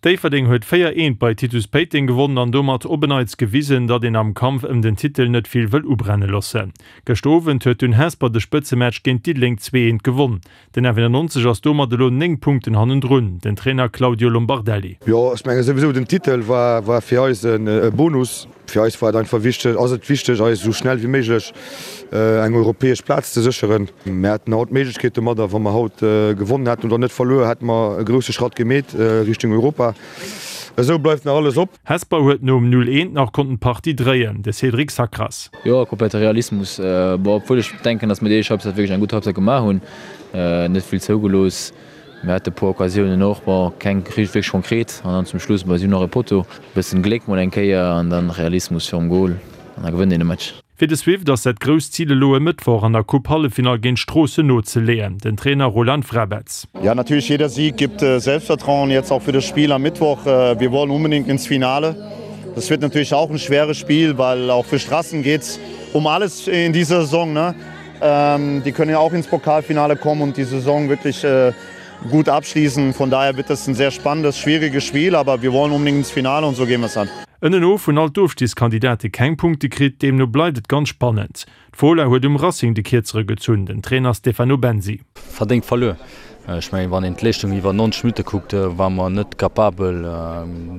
Déifferdeng huet 4, 1 bei Titus Péiteng gewonnen an domat op en Neits gewisen, datt een am Kampf ëm den Titel net vill wëll ubrenne loossen. Gëschter Owend huet dunn Hesper de Spëtzematch géint Diddeleng 2, 1 gewonn. Den F91 ass domat elo 9 Punkten hannendrun. Den Trainer Claudio Lombardelli. Jo, ech menge souwisou den Titel war war fir eis e Bonus. Fir eis war et einfach wichteg, ass et wichteg, eis esou schnell wéi méiglech eng europäesch Plaz ze sécheren. Mir hätten haut d'Méiglechkeet domadder, wa mer haut gewonnen hätten oder net verluer, hätte mer e grousse Schratt gemeet Richtung Europa. Esou bleift nach alles op. Hesper huet nom 0, 1 nach konnten d'Partie dréien, de Cédric Sacras. Jo, komplette Realismus. Bon, obwuel ech denken, datt mir déi éischt Halbzeit wierklech eng gutt Halbzeit gemaach hunn, net vill zougelooss. Mir hate puer Occasiounen och, bon, keng wierklech konkret an dann zum Schluss, bon, si hunn och e Potto, bëssen Gléck mol eng Kéier an dann Realismus virum Gol an da gewënnt een e Match. Fir de Swift ass dat grousst Zil elo e Mëttwoch an der Coupe Halleffinall géint Stroossen nozeleeën. Den Trainer Roland Vrabec. Ja, natürlich jeder Sieg gibt Selbstvertrauen jetzt auch für das Spiel am Mittwoch. Wir wollen unbedingt ins Finale. Das wird natürlich auch ein schweres Spiel, weil auch für Strassen geht's um alles in dieser Saison, ne? Die können ja auch ins Pokalfinale kommen und die Saison wirklich gut abschließen. Von daher wird das ein sehr spannendes, schwieriges Spiel, aber wir wollen unbedingt ins Finale und so gehen wir es an. Ënnenos hunn all d'Ofstiegskandidate keng Punkte kritt, deemno bleift et ganz spannend. D'Fola huet um Racing de Kierzere gezunn, den Trainer Stefano Bensi. Verdéngt verluer. Ech mengen, wann een d'Leeschtung iwwer 90 Minutte kuckt, ware mer net capabel,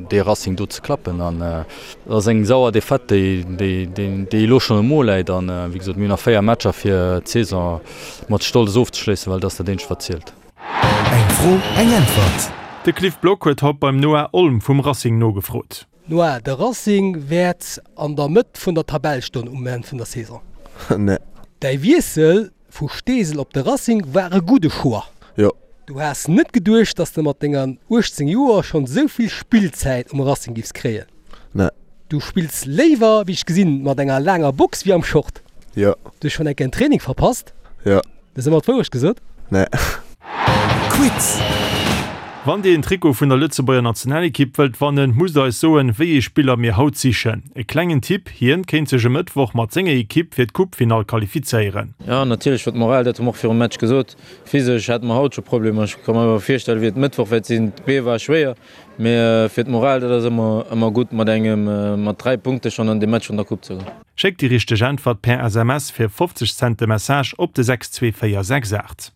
dee Racing do ze klappen. An et ass eng sauer Defaite, déi déi elo schonn um Mo läit. An wéi gesot, mir hunn nach 4 Matcher, fir d'Saison mat Stolz ofzeschléissen, well dat ass dat eenzegt, wat zielt. Eng Fro, eng Äntwert. De Cliff Block huet haut beim Noah Olm vum Racing nogefrot. Noah, de Racing wäert an der Mëtt vun der Tabell stoen um Enn vun der Saison. Nee. Däi Wiessel vu Steesel op de Racing war e gudde Choix. Jo. Du has net geduecht, dass de mat denger 18 Joer schonn esou vill Spillzäit um Racing giffs kréien. Nee. Du spills léiwer, wéi ech gesinn, mat enger laanger Box wéi am Short. Jo. Du hues schonn eng Kéier en Training verpasst. Jo. Dat ass ëmmer d'Wourecht gesot? Nee. Quiz! Wann Dir een Trikot vun der Lëtzebuerger Nationalekipp wëllt wannen, musst Der eis soen, wéi ee Spiller mir haut sichen. E klengen Tipp, Hien kéint sech e Mëttwoch mat senger Ekipp fir d'Coupefinall qualifizéieren. Jo, natierlech fir d'Moral, dat hu mer och virum Match gesot. Physesch hate mer haut scho Problemer. Ech ka mer awer virstellen, wéi et Mëttwoch wäert sinn. D'Bee war schwéier, mee fir d'Moral, dat ass ëmmer, ëmmer gutt, mat engem, mat 3 Punkte schonn an de Match vun der Coupe ze goen. Schéckt déi richteg Äntwert per SMS fir 50 Cent de Message op de 62468.